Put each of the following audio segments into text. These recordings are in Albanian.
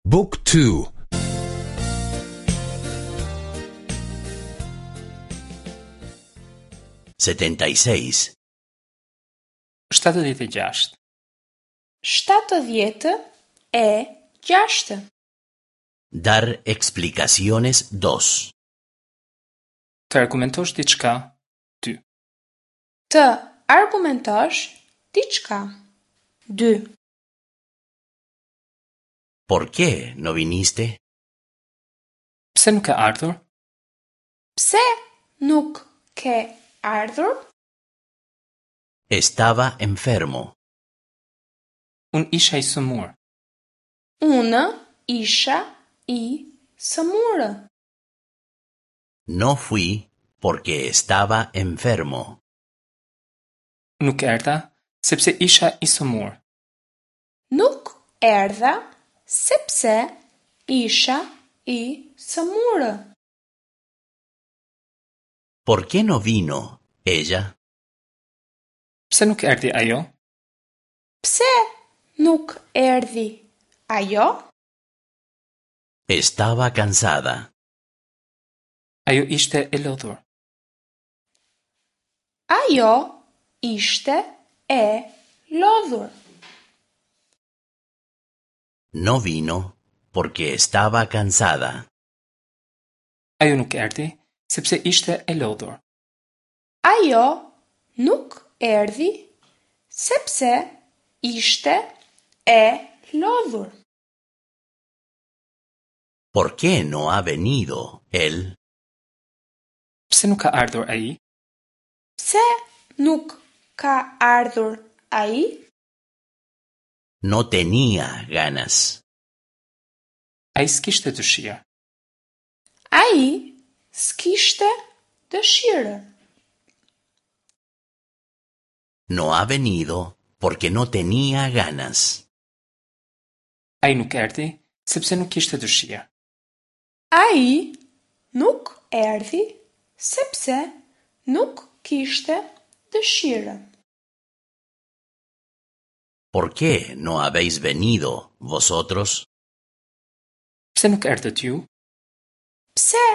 Book 2 76. 76. 76. Dar explicaciones 2. Të argumentosh diçka, 2. Të argumentosh diçka. 2. ¿Por qué no viniste? Pse nuk ke ardhur? Pse nuk ke ardhur? Estaba enfermo. Unë isha i sëmurë. Unë isha i sëmurë. No fui porque estaba enfermo. Nuk erdha sepse isha i sëmurë. Nuk erdha sepse isha i sëmurë. ¿Por qué no vino ella? Pse nuk erdhi ajo? Pse nuk erdhi ajo? Estaba cansada. Ajo ishte e lodhur. Ajo ishte e lodhur. No vino porque estaba cansada. Ajo nuk erdhi sepse ishte e lodhur. Ajo nuk erdhi sepse ishte e lodhur. ¿Por qué no ha venido él? Pse nuk ka ardhur ai? Pse nuk ka ardhur ai? No tenía ganas. Ai s'kishte dëshirë. Ai s'kishte dëshirë. No ha venido porque no tenía ganas. Ai nuk erdhi sepse nuk kishte dëshirë. Ai nuk erdhi sepse nuk kishte dëshirë. ¿Por qué no habéis venido vosotros? Pse nuk erdhët ju? Pse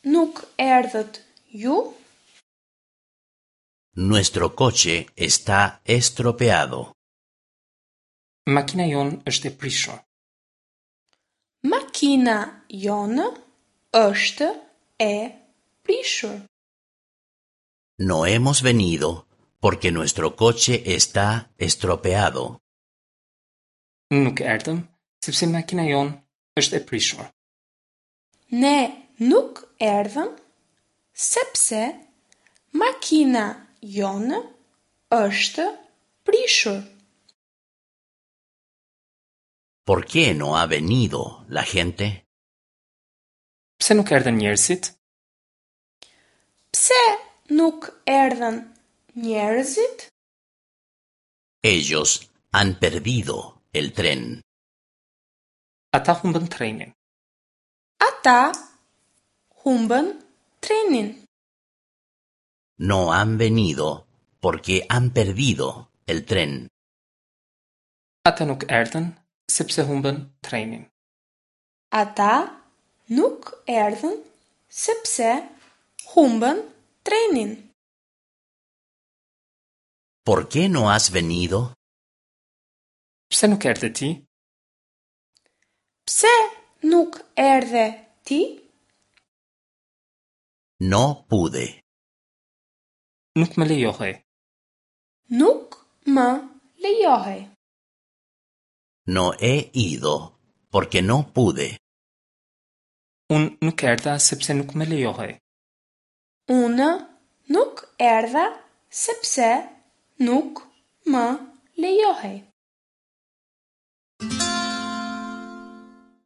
nuk erdhët ju? Nuestro coche está estropeado. Makina jonë është e prishur. Makina jonë është e prishur. No hemos venido porque nuestro coche está estropeado. Nuk erdhëm sepse makina jonë është e prishur. Ne nuk erdhëm sepse makina jonë është prishur. ¿Por qué no ha venido la gente? Pse nuk erdhën njerëzit? Pse nuk erdhën njerëzit? Ellos han perdido el tren. Ata humbën trenin. Ata humbën trenin. No han venido porque han perdido el tren. Ata nuk erdhën sepse humbën trenin. Ata nuk erdhën sepse humbën trenin. ¿Por qué no has venido? Pse nuk erdhe ti? Pse nuk erdhe ti? No pude. Nuk më lejohej. Nuk më lejohej. No he ido porque no pude. Unë nuk erdha sepse nuk më lejohej. Unë nuk erdha sepse nuk më lejohej.